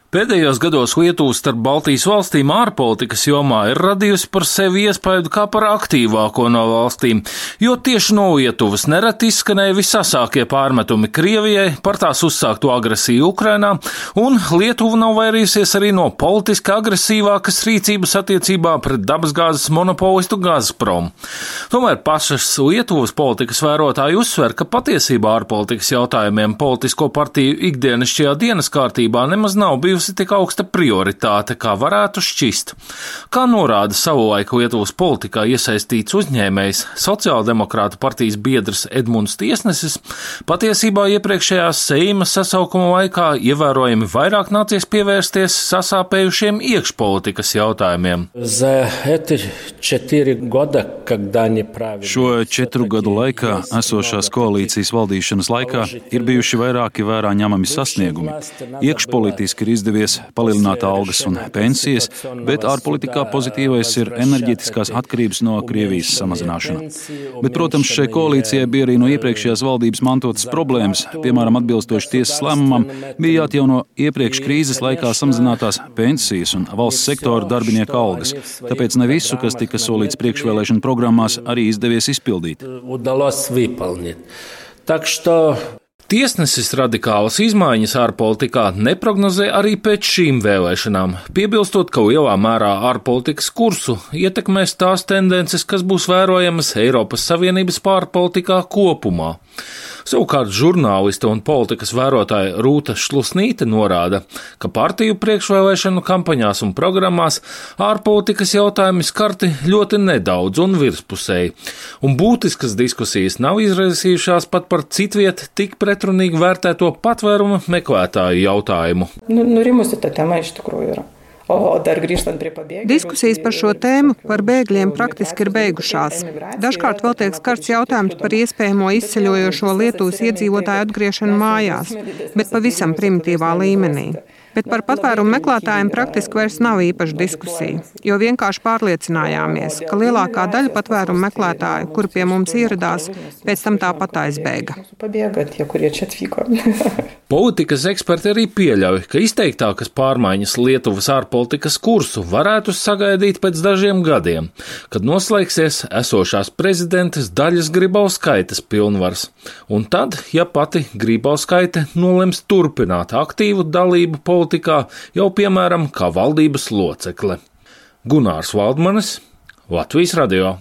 Pēdējos gados Lietuva starp Baltijas valstīm ārpolitikas jomā ir radījusi par sevi iespaidu kā par aktīvāko no valstīm, jo tieši no Lietuvas nereti izskanēja visasākie pārmetumi Krievijai par tās uzsākto agresiju Ukrainā, un Lietuva nav vairījusies arī no politiski agresīvākas rīcības attiecībā pret dabasgāzes monopolistu Gazprom. Tomēr pašas Lietuvas politikas vērotāji uzsver, ka patiesībā ārpolitikas jautājumiem politisko partiju ikdienišķajā dienas kārtībā nemaz nav bijusi tik augsta prioritāte, kā varētu šķist. Kā norāda savulaik Lietuvas politikā iesaistīts uzņēmējs, Sociāldemokrātu partijas biedrs Edmunds Tiesnesis, patiesībā iepriekšējās Seima sasaukuma laikā ievērojami vairāk nācies pievērsties sasāpējušiem iekšpolitikas jautājumiem. Šo 4 gadu laikā esošās koalīcijas valdīšanas laikā ir bijuši vairāki vērā ņemami sasniegumi. Iekšpolitiski ir izdevies palielināt algas un pensijas, bet ārpolitikā pozitīvais ir enerģetiskās atkarības no Krievijas samazināšana. Bet, protams, šai koalīcijai bija arī no iepriekšējās valdības mantotas problēmas, piemēram, atbilstoši tiesas lēmumam, bija jāatjauno iepriekš krīzes laikā samazinātās pensijas un valsts sektora darbinieku algas, tāpēc ne visu, kas tika solīts priekšvēlēšanu programmās, arī izdevies izpildīt. Tiesnesis radikālas izmaiņas ārpolitikā neprognozē arī pēc šīm vēlēšanām, piebilstot, ka lielā mērā ārpolitikas kursu ietekmēs tās tendences, kas būs vērojamas Eiropas Savienības ārpolitikā kopumā. Savukārt žurnāliste un politikas vērotāja Rūta Šlusnīte norāda, ka partiju priekšvēlēšanu kampaņās un programmās ārpolitikas jautājumi skarti ļoti nedaudz un virspusēji, un būtiskas diskusijas nav izraisījušās pat par citviet tik pretrunīgi vērtēto patvērumu meklētāju jautājumu. Diskusijas par šo tēmu, par bēgļiem, praktiski ir beigušās. Dažkārt vēl tiek skarts jautājums par iespējamo izceļojošo Lietuvas iedzīvotāju atgriešanu mājās, bet pavisam primitīvā līmenī. Bet par patvērumu meklētājiem praktiski vairs nav īpaša diskusija, jo vienkārši pārliecinājāmies, ka lielākā daļa patvērumu meklētāju, kuri pie mums ieradās, pēc tam tāpat aizbēga. Politikas eksperti arī pieļauj, ka izteiktākas pārmaiņas Lietuvas ārpolitikas kursu varētu sagaidīt pēc dažiem gadiem, kad noslēgsies esošās prezidentes Daļas Grybauskaites pilnvars. Un tad, ja pati Grybauskaite nolems turpināt aktīvu dalību politikā, jau piemēram kā valdības locekle. Gunārs Valdmanis, Latvijas radio.